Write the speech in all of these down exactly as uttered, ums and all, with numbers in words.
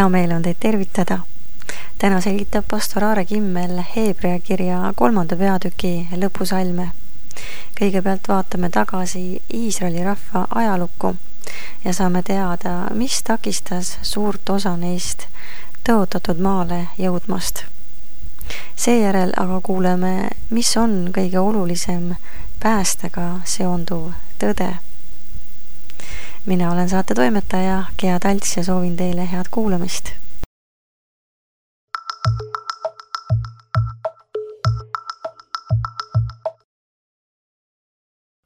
hea meel on teid tervitada. Täna selgitab pastor Aare Kimmel Heebrea kirja kolmanda peatüki lõpusalme. Kõigepealt vaatame tagasi Iisraeli rahva ajalukku ja saame teada, mis takistas suurt osa neist tõotatud maale jõudmast. Seejärel aga kuuleme, mis on kõige olulisem päästega seonduv tõde. Mina olen saate toimetaja Gea Talts ja soovin teile head kuulamist.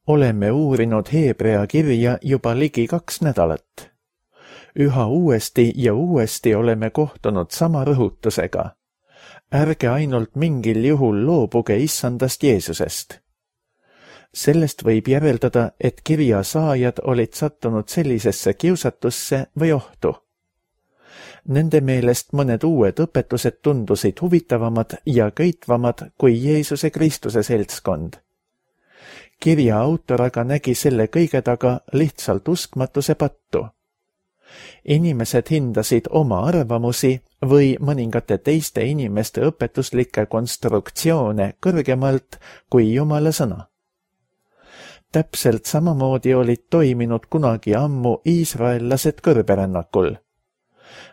Oleme uurinud Heebrea kirja juba ligi kaks nädalat. Üha uuesti ja uuesti oleme kohtunud sama rõhutusega. Ärge ainult mingil juhul loobuge issandast Jeesusest. Sellest võib järeldada, et kirja saajad olid sattunud sellisesse kiusatusse või ohtu. Nende meelest mõned uued õpetused tundusid huvitavamad ja köitvamad kui Jeesuse Kristuse seltskond. Kirja autor aga nägi selle kõige taga lihtsalt uskmatuse pattu. Inimesed hindasid oma arvamusi või mõningate teiste inimeste õpetuslikke konstruktsioone kõrgemalt kui Jumala sõna. Täpselt samamoodi olid toiminud kunagi ammu iisraellased kõrberännakul.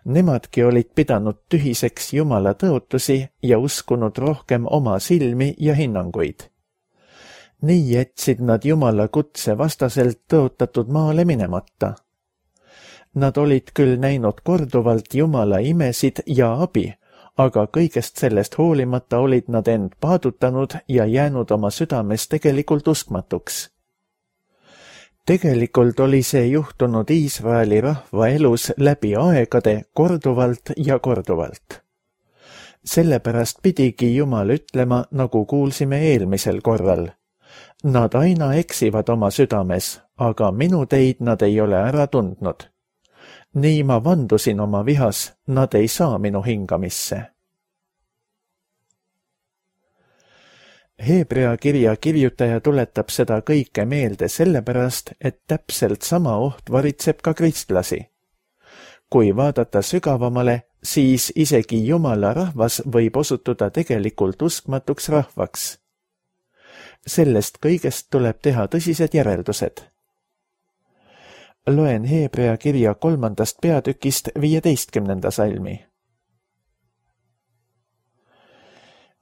Nemadki olid pidanud tühiseks Jumala tõotusi ja uskunud rohkem oma silmi ja hinnanguid. Nii jätsid nad Jumala kutse vastaselt tõotatud maale minemata. Nad olid küll näinud korduvalt Jumala imesid ja abi, aga kõigest sellest hoolimata olid nad end paadutanud ja jäänud oma südames tegelikult uskmatuks. Tegelikult oli see juhtunud Iisraeli rahva elus läbi aegade korduvalt ja korduvalt. Sellepärast pidigi Jumal ütlema, nagu kuulsime eelmisel korral. Nad aina eksivad oma südames, aga minu teid nad ei ole ära tundnud. Nii ma vandusin oma vihas, nad ei saa minu hingamisse. Heebrea kirja kirjutaja tuletab seda kõike meelde sellepärast, et täpselt sama oht varitseb ka kristlasi. Kui vaadata sügavamale, siis isegi Jumala rahvas võib osutuda tegelikult uskmatuks rahvaks. Sellest kõigest tuleb teha tõsised järeldused. Loen Heebrea kirja kolmandast peatükist viieteistkümnenda salmi.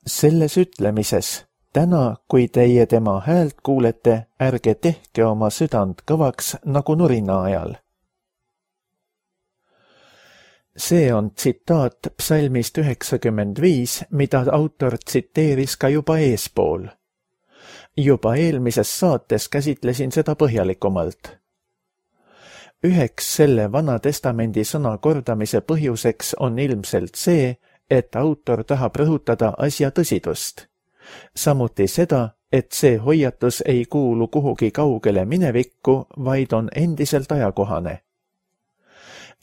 Selles ütlemises, täna, kui teie tema häält kuulete, ärge tehke oma südant kõvaks nagu nurina ajal. See on tsitaat psalmist üheksakümmend viis, mida autor tsiteeris ka juba eespool. Juba eelmises saates käsitlesin seda põhjalikumalt. Üheks selle Vana Testamendi sõna kordamise põhjuseks on ilmselt see, et autor tahab rõhutada asja tõsidust. Samuti seda, et see hoiatus ei kuulu kuhugi kaugele minevikku, vaid on endiselt ajakohane.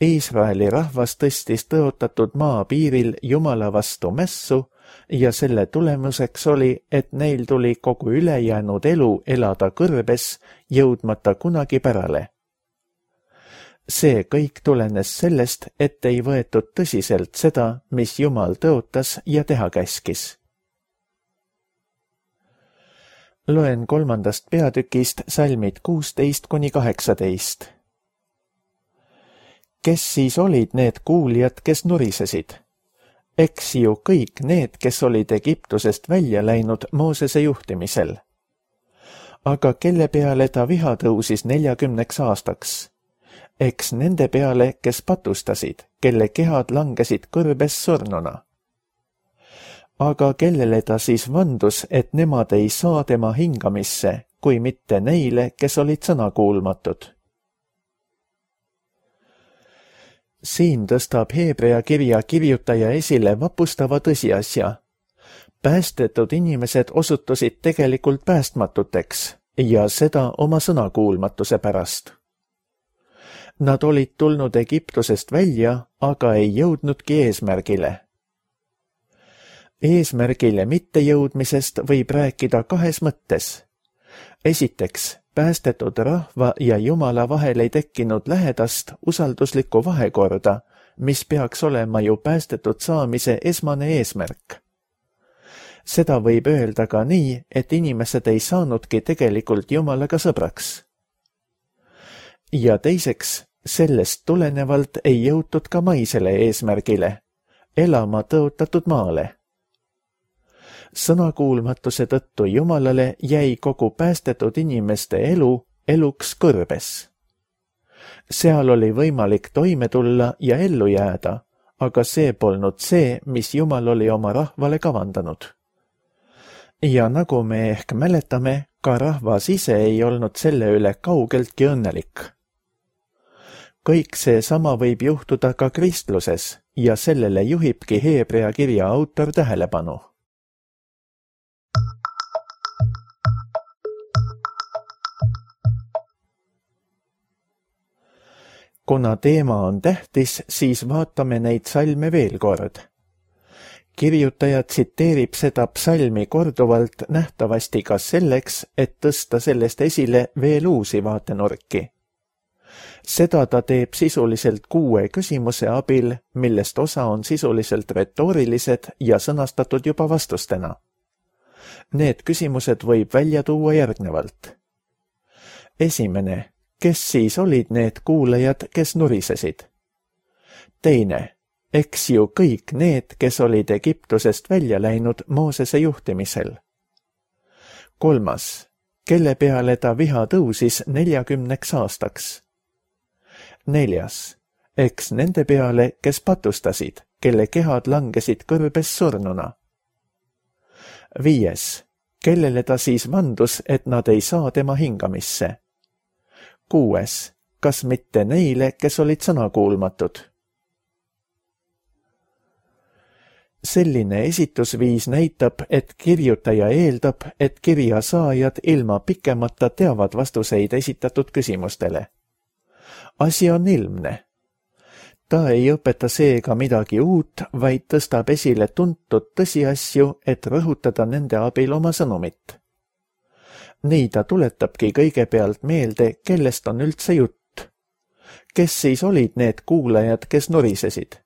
Iisraeli rahvas tõstis tõotatud maa piiril Jumala vastu mässu ja selle tulemuseks oli, et neil tuli kogu ülejäänud elu elada kõrbes, jõudmata kunagi pärale. See kõik tulenes sellest, et ei võetud tõsiselt seda, mis Jumal tõotas ja teha käskis. Loen kolmandast peatükist salmid kuusteist kuni kaheksateist. Kes siis olid need kuulijad, kes nurisesid? Eks ju kõik need, kes olid Egiptusest välja läinud Moosese juhtimisel. Aga kelle peale ta viha tõusis neljakümneks aastaks? Eks nende peale, kes patustasid, kelle kehad langesid kõrbes surnuna. Aga kellele ta siis vandus, et nemad ei saa tema hingamisse, kui mitte neile, kes olid sõnakuulmatud? Siin tõstab Heebrea kirja kirjutaja esile vapustava tõsiasja. Päästetud inimesed osutusid tegelikult päästmatuteks ja seda oma sõnakuulmatuse pärast. Nad olid tulnud Egiptusest välja, aga ei jõudnudki eesmärgile. Eesmärgile mittejõudmisest võib rääkida kahes mõttes. Esiteks, päästetud rahva ja Jumala vahel ei tekkinud lähedast usalduslikku vahekorda, mis peaks olema ju päästetud saamise esmane eesmärk. Seda võib öelda ka nii, et inimesed ei saanudki tegelikult Jumalaga sõbraks. Ja teiseks, sellest tulenevalt ei jõutud ka maisele eesmärgile, elama tõotatud maale. Sõnakuulmatuse tõttu Jumalale jäi kogu päästetud inimeste elu eluks kõrbes. Seal oli võimalik toime tulla ja ellu jääda, aga see polnud see, mis Jumal oli oma rahvale kavandanud. Ja nagu me ehk mäletame, ka rahvas ise ei olnud selle üle kaugeltki õnnelik. Kõik see sama võib juhtuda ka kristluses ja sellele juhibki Heebrea kirja autor tähelepanu. Kuna teema on tähtis, siis vaatame neid salme veel kord. Kirjutaja tsiteerib seda psalmi korduvalt nähtavasti ka selleks, et tõsta sellest esile veel uusi vaatenurki. Seda ta teeb sisuliselt kuue küsimuse abil, millest osa on sisuliselt retoorilised ja sõnastatud juba vastustena. Need küsimused võib välja tuua järgnevalt. Esimene, kes siis olid need kuulajad, kes nurisesid? Teine, eks ju kõik need, kes olid Egiptusest välja läinud Moosese juhtimisel. Kolmas, kelle peale ta viha tõusis neljakümneks aastaks. Neljas, eks nende peale, kes patustasid, kelle kehad langesid kõrbes surnuna. Viies, kellele ta siis vandus, et nad ei saa tema hingamisse. Kuues, kas mitte neile, kes olid sõnakuulmatud? Selline esitusviis näitab, et kirjutaja eeldab, et kirja saajad ilma pikemata teavad vastuseid esitatud küsimustele. Asi on ilmne. Ta ei õpeta seega midagi uut, vaid tõstab esile tuntud tõsiasju, et rõhutada nende abil oma sõnumit. Nii ta tuletabki kõigepealt meelde, kellest on üldse jutt. Kes siis olid need kuulajad, kes nurisesid?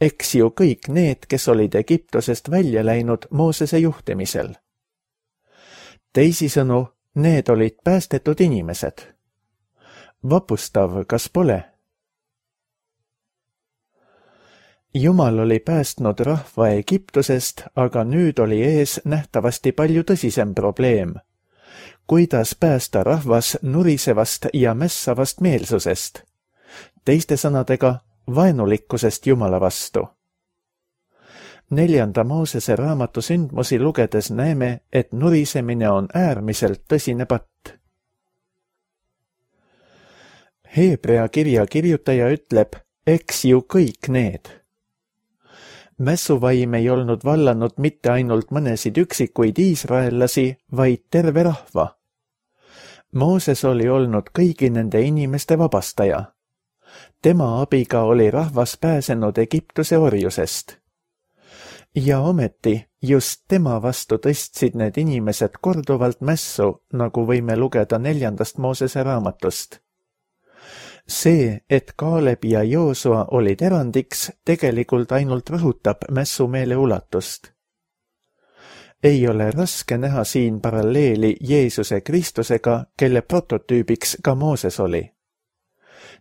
Eks ju kõik need, kes olid Egiptusest välja läinud Moosese juhtimisel. Teisisõnu, need olid päästetud inimesed. Vapustav, kas pole? Jumal oli päästnud rahva Egiptusest, aga nüüd oli ees nähtavasti palju tõsisem probleem. Kuidas päästa rahvas nurisevast ja mässavast meelsusest? Teiste sõnadega, vaenulikkusest Jumala vastu. Neljanda Moosese raamatu sündmusi lugedes näeme, et nurisemine on äärmiselt tõsine patt. Heebrea kirja kirjutaja ütleb, eks ju kõik need. Mässuvaim ei olnud vallanud mitte ainult mõnesid üksikuid iisraellasi, vaid terve rahva. Mooses oli olnud kõigi nende inimeste vabastaja. Tema abiga oli rahvas pääsenud Egiptuse orjusest. Ja ometi just tema vastu tõstsid need inimesed korduvalt mässu, nagu võime lugeda neljandast Moosese raamatust. See, et Kaaleb ja Joosua olid erandiks, tegelikult ainult rõhutab mässumeele ulatust. Ei ole raske näha siin paralleeli Jeesuse Kristusega, kelle prototüübiks ka Mooses oli.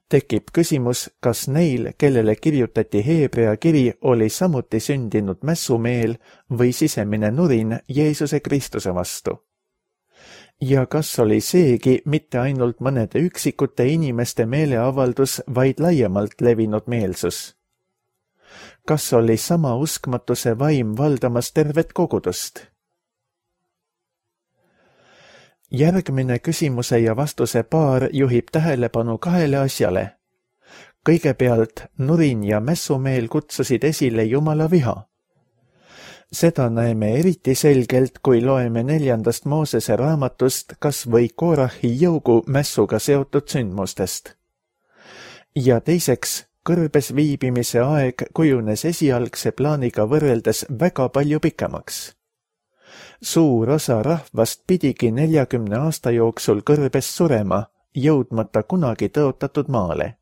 Tekib küsimus, kas neil, kellele kirjutati Heebrea kiri, oli samuti sündinud mässumeel või sisemine nurin Jeesuse Kristuse vastu. Ja kas oli seegi mitte ainult mõnede üksikute inimeste meeleavaldus, vaid laiemalt levinud meelsus? Kas oli sama uskmatuse vaim valdamas tervet kogudust? Järgmine küsimuse ja vastuse paar juhib tähelepanu kahele asjale. Kõigepealt nurin ja mässumeel kutsusid esile Jumala viha. Seda näeme eriti selgelt, kui loeme neljandast Moosese raamatust kas või Koorahi jõugu mässuga seotud sündmustest. Ja teiseks, kõrbes viibimise aeg kujunes esialgse plaaniga võrreldes väga palju pikemaks. Suur osa rahvast pidigi neljakümne aasta jooksul kõrbes surema, jõudmata kunagi tõotatud maale.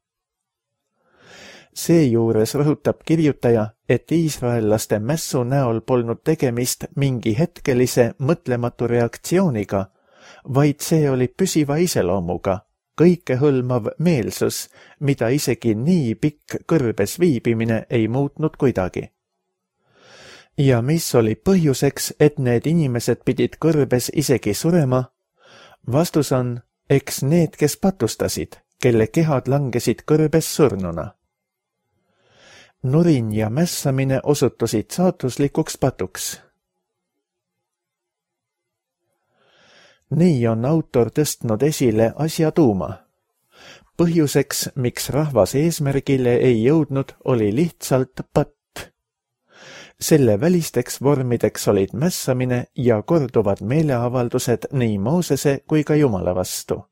Seejuures rõhutab kirjutaja, et iisraellaste mässu näol polnud tegemist mingi hetkelise mõtlematu reaktsiooniga, vaid see oli püsiva iseloomuga, kõikehõlmav meelsus, mida isegi nii pikk kõrbes viibimine ei muutnud kuidagi. Ja mis oli põhjuseks, et need inimesed pidid kõrbes isegi surema? Vastus on, eks need, kes patustasid, kelle kehad langesid kõrbes surnuna. Nurin ja mässamine osutusid saatuslikuks patuks. Nii on autor tõstnud esile asja tuuma. Põhjuseks, miks rahvas eesmärgile ei jõudnud, oli lihtsalt patt. Selle välisteks vormideks olid mässamine ja korduvad meeleavaldused nii Moosese kui ka Jumala vastu.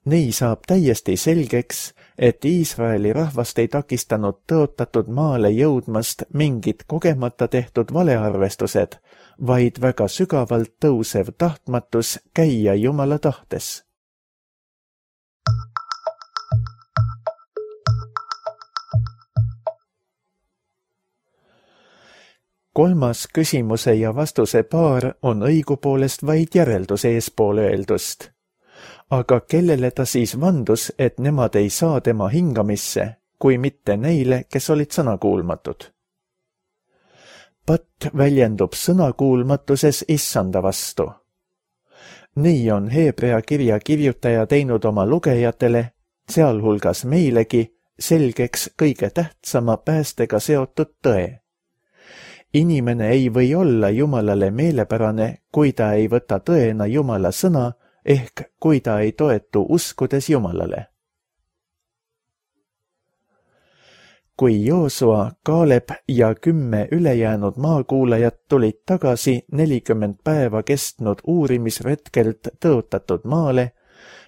Nii saab täiesti selgeks, et Iisraeli rahvast ei takistanud tõotatud maale jõudmast mingid kogemata tehtud valearvestused, vaid väga sügavalt tõusev tahtmatus käia Jumala tahtes. Kolmas küsimuse ja vastuse paar on õigupoolest vaid järeldus eespool öeldust. Aga kellele ta siis vandus, et nemad ei saa tema hingamisse, kui mitte neile, kes olid sõnakuulmatud? Patt väljendub sõnakuulmatuses issanda vastu. Nii on Heebrea kirja kirjutaja teinud oma lugejatele, sealhulgas meilegi, selgeks kõige tähtsama päästega seotud tõe. Inimene ei või olla Jumalale meelepärane, kui ta ei võta tõena Jumala sõna, ehk kui ta ei toetu uskudes Jumalale. Kui Joosua, Kaaleb ja kümme ülejäänud maakuulajat tulid tagasi nelikümmend päeva kestnud uurimisretkelt tõotatud maale,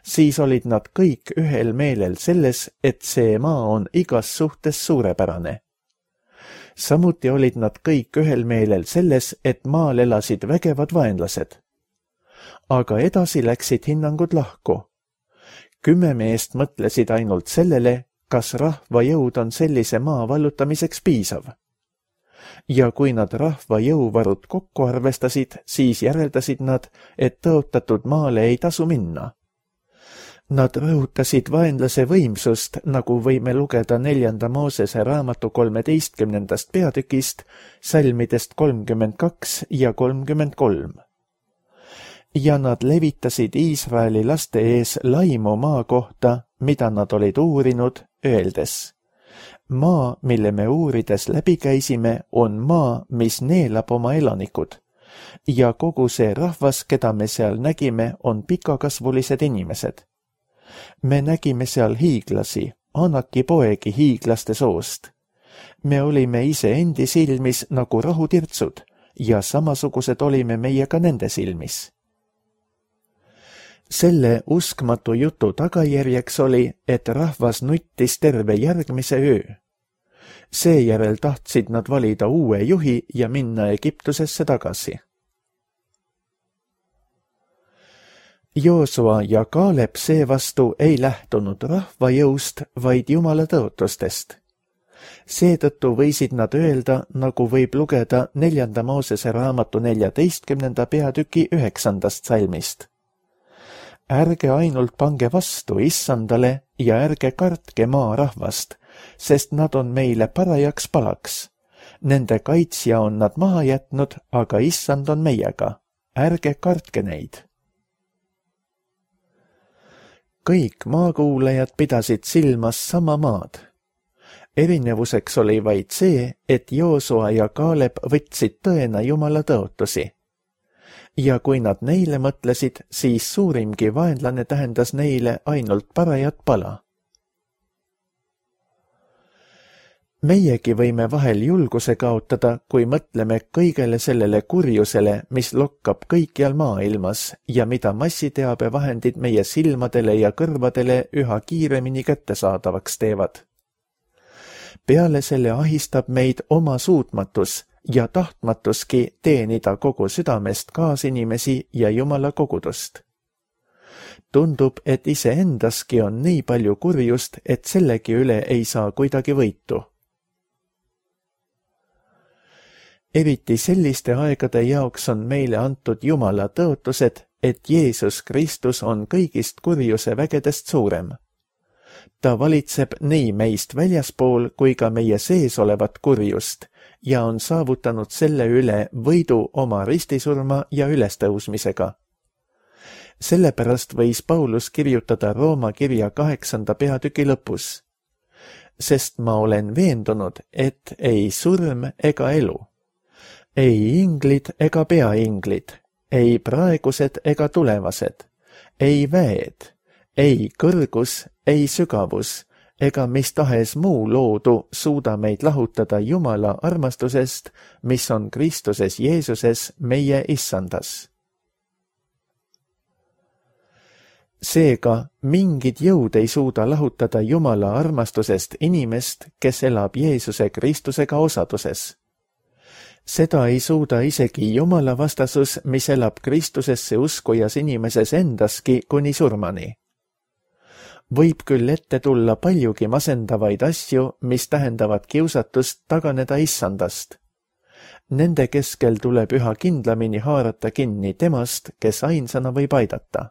siis olid nad kõik ühel meelel selles, et see maa on igas suhtes suurepärane. Samuti olid nad kõik ühel meelel selles, et maal elasid vägevad vaenlased. Aga edasi läksid hinnangud lahku. Kümme meest mõtlesid ainult sellele, kas rahva jõud on sellise maa vallutamiseks piisav. Ja kui nad rahva jõuvarud kokku arvestasid, siis järeldasid nad, et tõotatud maale ei tasu minna. Nad rõhutasid vaenlase võimsust, nagu võime lugeda neljanda Moosese raamatu kolmeteistkümnendast peatükist, salmidest kolmkümmend kaks ja kolmkümmend kolm. Ja nad levitasid Iisraeli laste ees laimu maa kohta, mida nad olid uurinud, öeldes: maa, mille me uurides läbi käisime, on maa, mis neelab oma elanikud. Ja kogu see rahvas, keda me seal nägime, on pikakasvulised inimesed. Me nägime seal hiiglasi, Anaki poegi hiiglaste soost. Me olime ise endi silmis nagu rahutirtsud ja samasugused olime meie ka nende silmis. Selle uskmatu jutu tagajärjeks oli, et rahvas nuttis terve järgmise öö. Seejärel tahtsid nad valida uue juhi ja minna Egiptusesse tagasi. Joosua ja Kaaleb seevastu ei lähtunud rahva jõust, vaid Jumala tõotustest. Seetõttu võisid nad öelda, nagu võib lugeda neljanda Moosese raamatu neljateistkümnenda peatüki üheksandast salmist. Ärge ainult pange vastu issandale ja ärge kartke maa rahvast, sest nad on meile parajaks palaks. Nende kaitsja on nad maha jätnud, aga issand on meiega. Ärge kartke neid. Kõik maakuulajad pidasid silmas sama maad. Erinevuseks oli vaid see, et Joosua ja Kaaleb võtsid tõena Jumala tõotusi. Ja kui nad neile mõtlesid, siis suurimgi vaenlane tähendas neile ainult parajat pala. Meiegi võime vahel julguse kaotada, kui mõtleme kõigele sellele kurjusele, mis lokkab kõikjal maailmas ja mida massiteabevahendid meie silmadele ja kõrvadele üha kiiremini kättesaadavaks teevad. Peale selle ahistab meid oma suutmatus ja tahtmatuski teenida kogu südamest kaasinimesi ja Jumala kogudust. Tundub, et iseendaski on nii palju kurjust, et sellegi üle ei saa kuidagi võitu. Eriti selliste aegade jaoks on meile antud Jumala tõotused, et Jeesus Kristus on kõigist kurjuse vägedest suurem. Ta valitseb nii meist väljaspool kui ka meie sees olevat kurjust ja on saavutanud selle üle võidu oma ristisurma ja ülestõusmisega. Sellepärast võis Paulus kirjutada Rooma kirja kaheksanda peatüki lõpus. Sest ma olen veendunud, et ei surm ega elu, ei inglid ega peainglid, ei praegused ega tulevased, ei väed, ei kõrgus, ei sügavus ega mis tahes muu loodu suuda meid lahutada Jumala armastusest, mis on Kristuses Jeesuses meie issandas. Seega mingid jõud ei suuda lahutada Jumala armastusest inimest, kes elab Jeesuse Kristusega osaduses. Seda ei suuda isegi Jumala vastasus, mis elab Kristusesse uskujas inimeses endaski kuni surmani. Võib küll ette tulla paljugi masendavaid asju, mis tähendavad kiusatust taganeda issandast. Nende keskel tuleb üha kindlamini haarata kinni temast, kes ainsana võib aidata.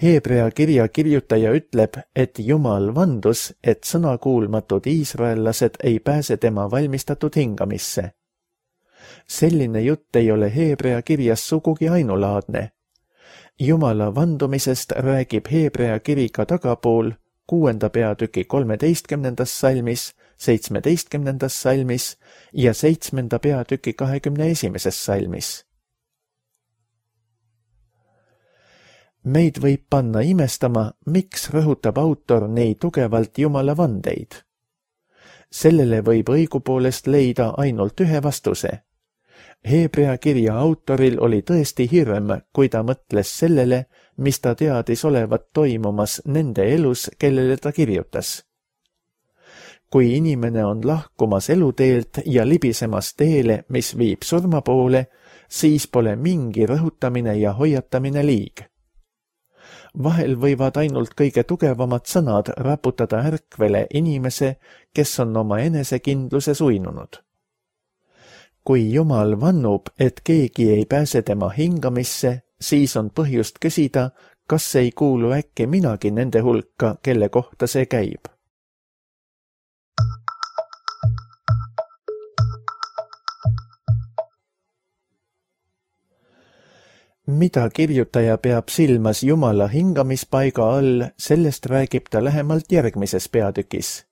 Heebrea kirja kirjutaja ütleb, et Jumal vandus, et sõnakuulmatud iisraellased ei pääse tema valmistatud hingamisse. Selline jutt ei ole Heebrea kirjas sugugi ainulaadne. Jumala vandumisest räägib Heebrea kiri ka tagapool, kuuenda peatüki kolmeteistkümnendas salmis, seitsmeteistkümnendas salmis ja seitsmenda peatüki kahekümne esimeses salmis. Meid võib panna imestama, miks rõhutab autor nii tugevalt Jumala vandeid. Sellele võib õigupoolest leida ainult ühe vastuse. Heebrea kirja autoril oli tõesti hirm, kui ta mõtles sellele, mis ta teadis olevat toimumas nende elus, kellele ta kirjutas. Kui inimene on lahkumas eluteelt ja libisemas teele, mis viib surma poole, siis pole mingi rõhutamine ja hoiatamine liig. Vahel võivad ainult kõige tugevamad sõnad raputada ärkvele inimese, kes on oma enesekindluses uinunud. Kui Jumal vannub, et keegi ei pääse tema hingamisse, siis on põhjust küsida, kas ei kuulu äkki minagi nende hulka, kelle kohta see käib. Mida kirjutaja peab silmas Jumala hingamispaiga all, sellest räägib ta lähemalt järgmises peatükis.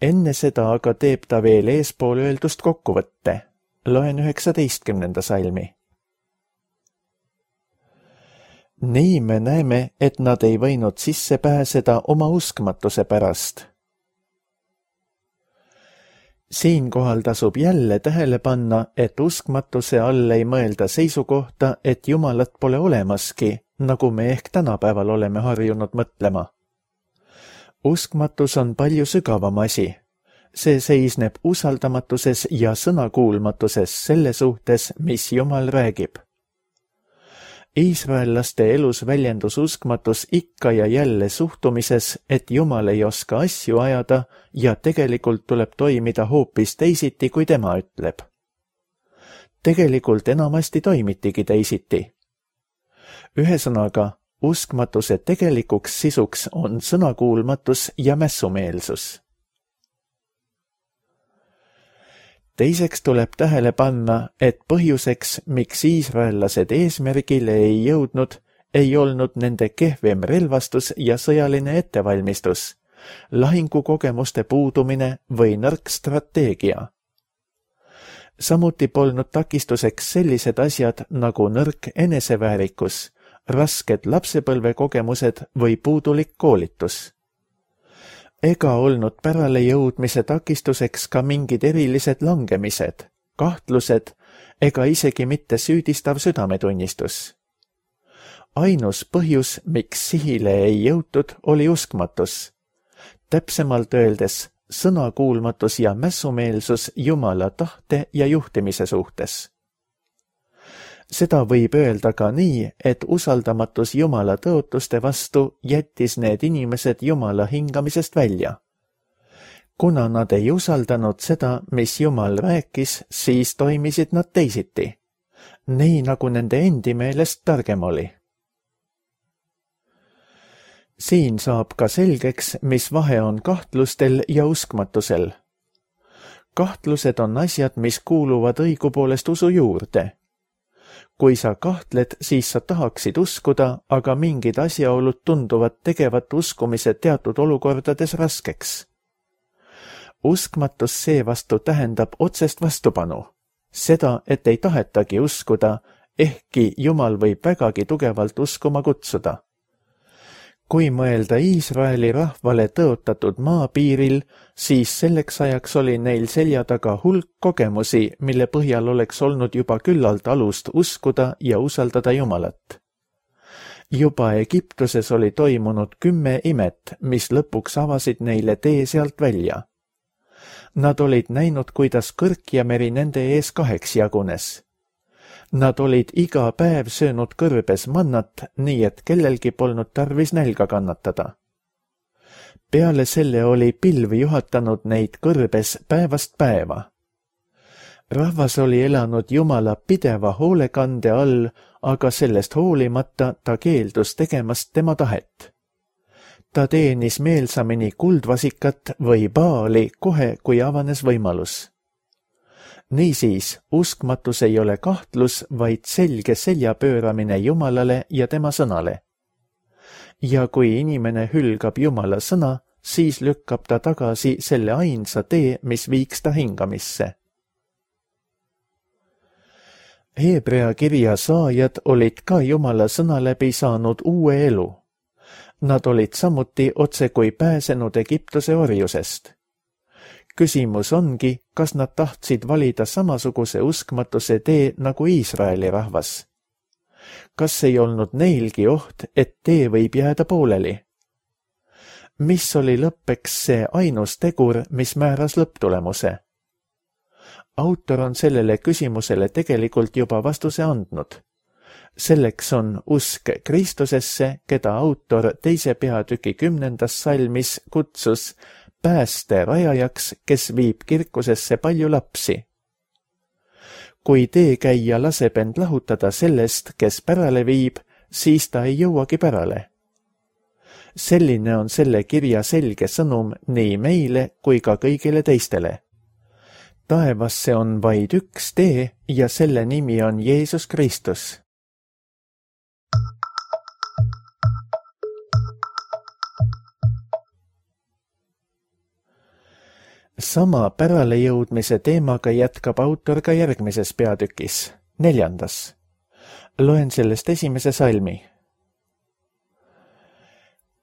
Enne seda aga teeb ta veel eespool öeldust kokkuvõtte. Loen üheksateistkümnenda salmi. Nii me näeme, et nad ei võinud sisse pääseda oma uskmatuse pärast. Siinkohal tasub jälle tähele panna, et uskmatuse all ei mõelda seisukohta, et Jumalat pole olemaski, nagu me ehk tänapäeval oleme harjunud mõtlema. Uskmatus on palju sügavam asi. See seisneb usaldamatuses ja sõnakuulmatuses selle suhtes, mis Jumal räägib. Iisraellaste elus väljendus uskmatus ikka ja jälle suhtumises, et Jumal ei oska asju ajada ja tegelikult tuleb toimida hoopis teisiti, kui tema ütleb. Tegelikult enamasti toimitigi teisiti. Ühesõnaga, uskmatuse tegelikuks sisuks on sõnakuulmatus ja mässumeelsus. Teiseks tuleb tähele panna, et põhjuseks, miks iisraellased eesmärgile ei jõudnud, ei olnud nende kehvem relvastus ja sõjaline ettevalmistus, lahingukogemuste puudumine või nõrk strateegia. Samuti polnud takistuseks sellised asjad nagu nõrk eneseväärikus, rasked lapsepõlvekogemused või puudulik koolitus. Ega olnud pärale jõudmise takistuseks ka mingid erilised langemised, kahtlused ega isegi mitte süüdistav südametunnistus. Ainus põhjus, miks sihile ei jõutud, oli uskmatus. Täpsemalt öeldes sõnakuulmatus ja mässumeelsus Jumala tahte ja juhtimise suhtes. Seda võib öelda ka nii, et usaldamatus Jumala tõotuste vastu jättis need inimesed Jumala hingamisest välja. Kuna nad ei usaldanud seda, mis Jumal rääkis, siis toimisid nad teisiti, nii nagu nende endi meelest targem oli. Siin saab ka selgeks, mis vahe on kahtlustel ja uskmatusel. Kahtlused on asjad, mis kuuluvad õigupoolest usu juurde. Kui sa kahtled, siis sa tahaksid uskuda, aga mingid asjaolud tunduvad tegevat uskumise teatud olukordades raskeks. Uskmatus seevastu tähendab otsest vastupanu. Seda, et ei tahetagi uskuda, ehkki Jumal võib vägagi tugevalt uskuma kutsuda. Kui mõelda Iisraeli rahvale tõotatud maapiiril, siis selleks ajaks oli neil selja taga hulk kogemusi, mille põhjal oleks olnud juba küllalt alust uskuda ja usaldada Jumalat. Juba Egiptuses oli toimunud kümme imet, mis lõpuks avasid neile tee sealt välja. Nad olid näinud, kuidas kõrk ja meri nende ees kaheks jagunes. Nad olid iga päev söönud kõrbes mannat, nii et kellelgi polnud tarvis nälga kannatada. Peale selle oli pilv juhatanud neid kõrbes päevast päeva. Rahvas oli elanud Jumala pideva hoolekande all, aga sellest hoolimata ta keeldus tegemast tema tahet. Ta teenis meelsamini kuldvasikat või Baali kohe, kui avanes võimalus. Niisiis, uskmatus ei ole kahtlus, vaid selge selja pööramine Jumalale ja tema sõnale. Ja kui inimene hülgab Jumala sõna, siis lükkab ta tagasi selle ainsa tee, mis viiks ta hingamisse. Hebrea kirja saajad olid ka Jumala sõna läbi saanud uue elu. Nad olid samuti otse kui pääsenud Egiptuse orjusest. Küsimus ongi, kas nad tahtsid valida samasuguse uskmatuse tee nagu Iisraeli rahvas. Kas ei olnud neilgi oht, et tee võib jääda pooleli? Mis oli lõppeks see ainus tegur, mis määras lõpptulemuse? Autor on sellele küsimusele tegelikult juba vastuse andnud. Selleks on usk Kristusesse, keda autor teise peatüki kümnendas salmis kutsus pääste rajajaks, kes viib kirkusesse palju lapsi. Kui teekäija laseb end lahutada sellest, kes pärale viib, siis ta ei jõuagi pärale. Selline on selle kirja selge sõnum nii meile kui ka kõigile teistele. Taevasse on vaid üks tee ja selle nimi on Jeesus Kristus. Sama päralejõudmise teemaga jätkab autor ka järgmises peatükis, neljandas. Loen sellest esimese salmi.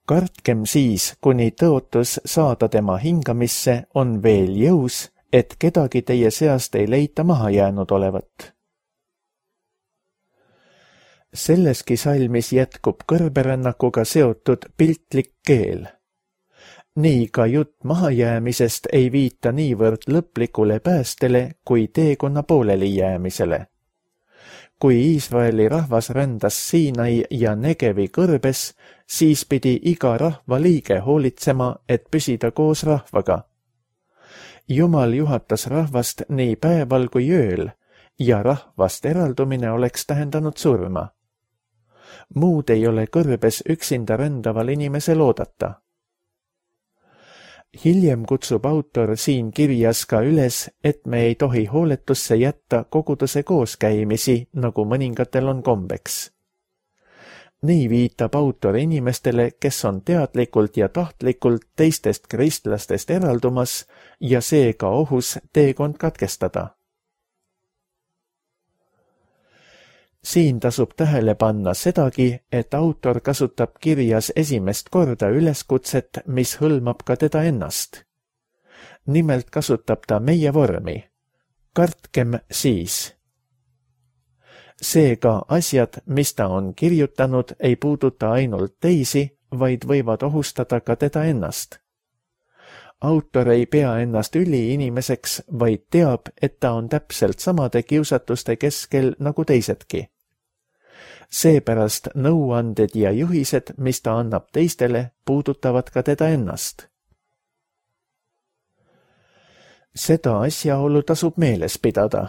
Kartkem siis, kuni tõotus saada tema hingamisse on veel jõus, et kedagi teie seast ei leita maha jäänud olevat. Selleski salmis jätkub kõrberännakuga seotud piltlik keel. Nii ka jutt mahajäämisest ei viita niivõrd lõplikule päästele kui teekonna pooleli jäämisele. Kui Iisraeli rahvas rändas Siinai ja Negevi kõrbes, siis pidi iga rahva liige hoolitsema, et püsida koos rahvaga. Jumal juhatas rahvast nii päeval kui ööl ja rahvast eraldumine oleks tähendanud surma. Muud ei ole kõrbes üksinda rändaval inimesel oodata. Hiljem kutsub autor siin kirjas ka üles, et me ei tohi hooletusse jätta koguduse kooskäimisi, nagu mõningatel on kombeks. Nii viitab autor inimestele, kes on teadlikult ja tahtlikult teistest kristlastest eraldumas ja seega ohus teekond katkestada. Siin tasub tähele panna sedagi, et autor kasutab kirjas esimest korda üleskutset, mis hõlmab ka teda ennast. Nimelt kasutab ta meie vormi. Kartkem siis. Seega asjad, mis ta on kirjutanud, ei puuduta ainult teisi, vaid võivad ohustada ka teda ennast. Autor ei pea ennast üliinimeseks, vaid teab, et ta on täpselt samade kiusatuste keskel nagu teisedki. Seepärast nõuanded ja juhised, mis ta annab teistele, puudutavad ka teda ennast. Seda asjaolu tasub meeles pidada.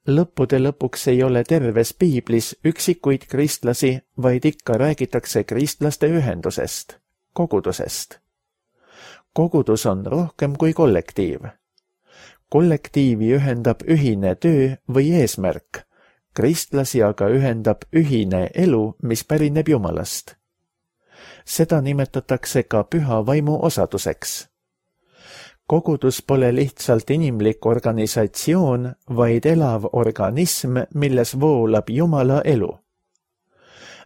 Lõppude lõpuks ei ole terves piiblis üksikuid kristlasi, vaid ikka räägitakse kristlaste ühendusest, kogudusest. Kogudus on rohkem kui kollektiiv. Kollektiivi ühendab ühine töö või eesmärk, kristlasi aga ühendab ühine elu, mis pärineb Jumalast. Seda nimetatakse ka püha vaimu osaduseks. Kogudus pole lihtsalt inimlik organisatsioon, vaid elav organism, milles voolab Jumala elu.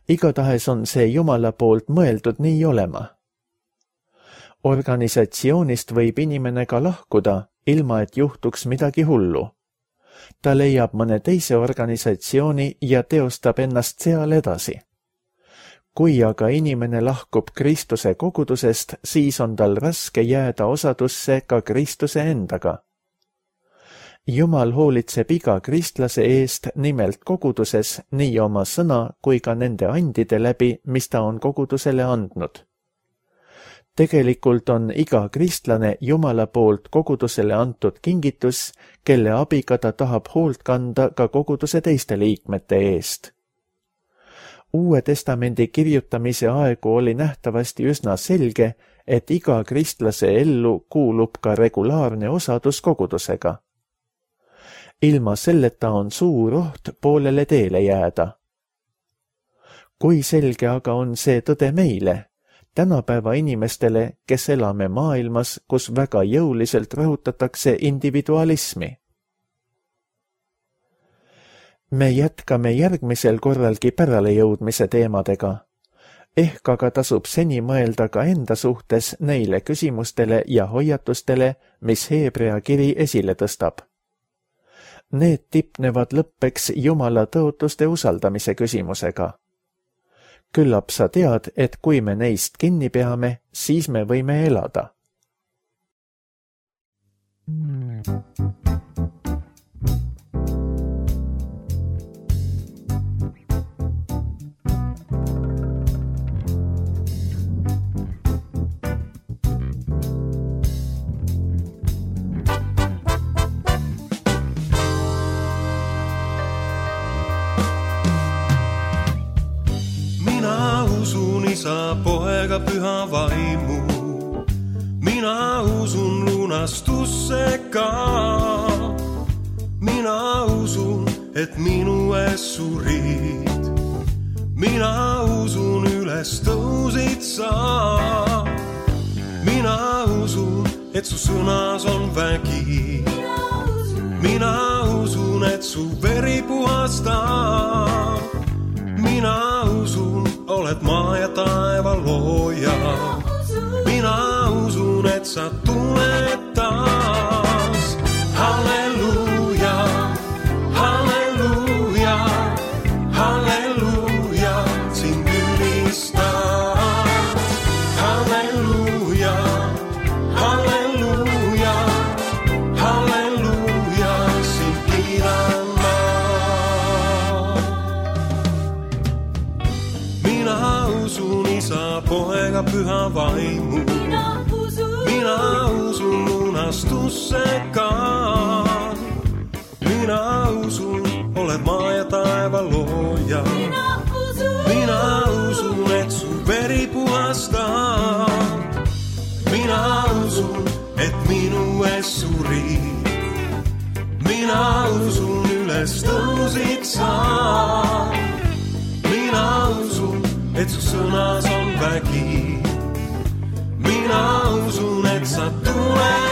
Igatahes on see Jumala poolt mõeldud nii olema. Organisatsioonist võib inimene ka lahkuda, ilma et juhtuks midagi hullu. Ta leiab mõne teise organisatsiooni ja teostab ennast seal edasi. Kui aga inimene lahkub Kristuse kogudusest, siis on tal raske jääda osadusse ka Kristuse endaga. Jumal hoolitseb iga kristlase eest nimelt koguduses nii oma sõna kui ka nende andide läbi, mis ta on kogudusele andnud. Tegelikult on iga kristlane Jumala poolt kogudusele antud kingitus, kelle abiga ta tahab hoolt kanda ka koguduse teiste liikmete eest. Uue testamendi kirjutamise aegu oli nähtavasti üsna selge, et iga kristlase ellu kuulub ka regulaarne osadus kogudusega. Ilma selleta on suur oht poolele teele jääda. Kui selge aga on see tõde meile, tänapäeva inimestele, kes elame maailmas, kus väga jõuliselt rõhutatakse individualismi? Me jätkame järgmisel korralgi päralejõudmise teemadega. Ehk aga tasub seni mõelda ka enda suhtes neile küsimustele ja hoiatustele, mis Heebrea kiri esile tõstab. Need tipnevad lõppeks Jumala tõotuste usaldamise küsimusega. Küllap sa tead, et kui me neist kinni peame, siis me võime elada. Isa, poega, püha vaimu. Mina usun lunastusse ka. Mina usun, et minu ees surid. Mina usun, üles tõusid sa. Mina usun, et su sõnas on vägi. Mina usun, et su veri puhastab. Mina usun, oled maa ja taeva looja. Mina usun, et sa tuled taas. Halleluuja, halleluuja, halleluuja, sind ülistan. Halleluuja, halleluuja, halleluuja, sind kiidan. Isa, poega, püha vaimu. Mina usun, Mina usun lunastusse ka. Mina usun, oled maa ja taeva looja. Mina usun, Mina usun, et su veri puhastab. Mina usun, et minu ees surid. Mina usun, üles tõusid sa. Mina usun, et su sõnas on vägi. Mina usun, et sa tuled.